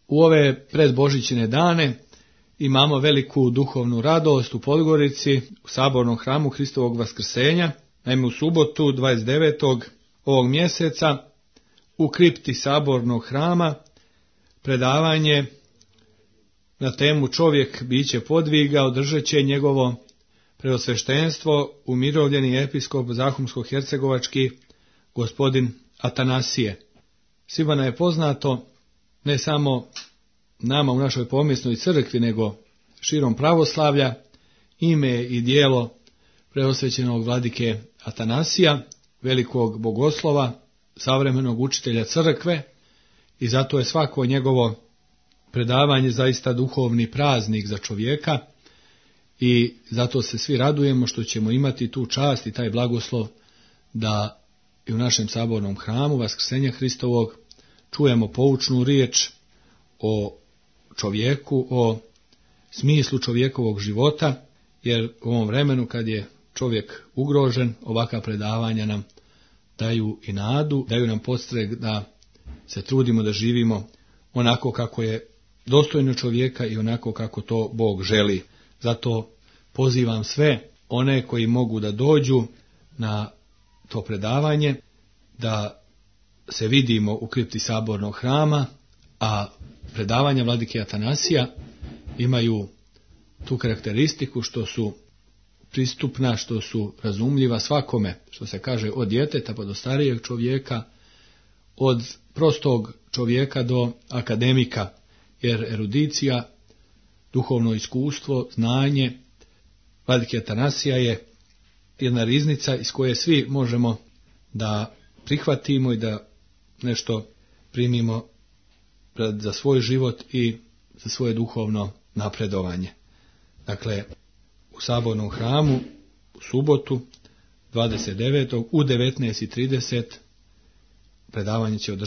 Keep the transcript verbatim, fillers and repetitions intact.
U ove predbožićne dane imamo veliku duhovnu radost u Podgorici, u sabornom hramu Hristovog vaskrsenja. Naime, u subotu dvadeset devetog ovog mjeseca u kripti sabornog hrama predavanje na temu Čovjek biće podviga održat će njegovo preosveštenstvo umirovljeni episkop zahumsko-hercegovački gospodin Atanasije. Svima nam je poznato, ne samo nama u našoj pomjesnoj crkvi, nego širom pravoslavlja, ime i djelo preosvećenog vladike Atanasija, velikog bogoslova, savremenog učitelja crkve, i zato je svako njegovo predavanje zaista duhovni praznik za čovjeka i zato se svi radujemo što ćemo imati tu čast i taj blagoslov da i u našem sabornom hramu Vaskrsenja Hristovog čujemo poučnu riječ o čovjeku, o smislu čovjekovog života, jer u ovom vremenu kad je čovjek ugrožen, ovakva predavanja nam daju i nadu, daju nam podstrek da se trudimo da živimo onako kako je dostojno čovjeka i onako kako to Bog želi. Zato pozivam sve one koji mogu da dođu na to predavanje, da se vidimo u kripti sabornog hrama, a predavanja vladike Atanasija imaju tu karakteristiku što su pristupna, što su razumljiva svakome, što se kaže od djeteta pa do starijeg čovjeka, od prostog čovjeka do akademika, jer erudicija, duhovno iskustvo, znanje vladike Atanasija je jedna riznica iz koje svi možemo da prihvatimo i da nešto primimo za svoj život i za svoje duhovno napredovanje. Dakle, u sabornom hramu u subotu dvadeset devetog u devetnaest i trideset predavanje će održati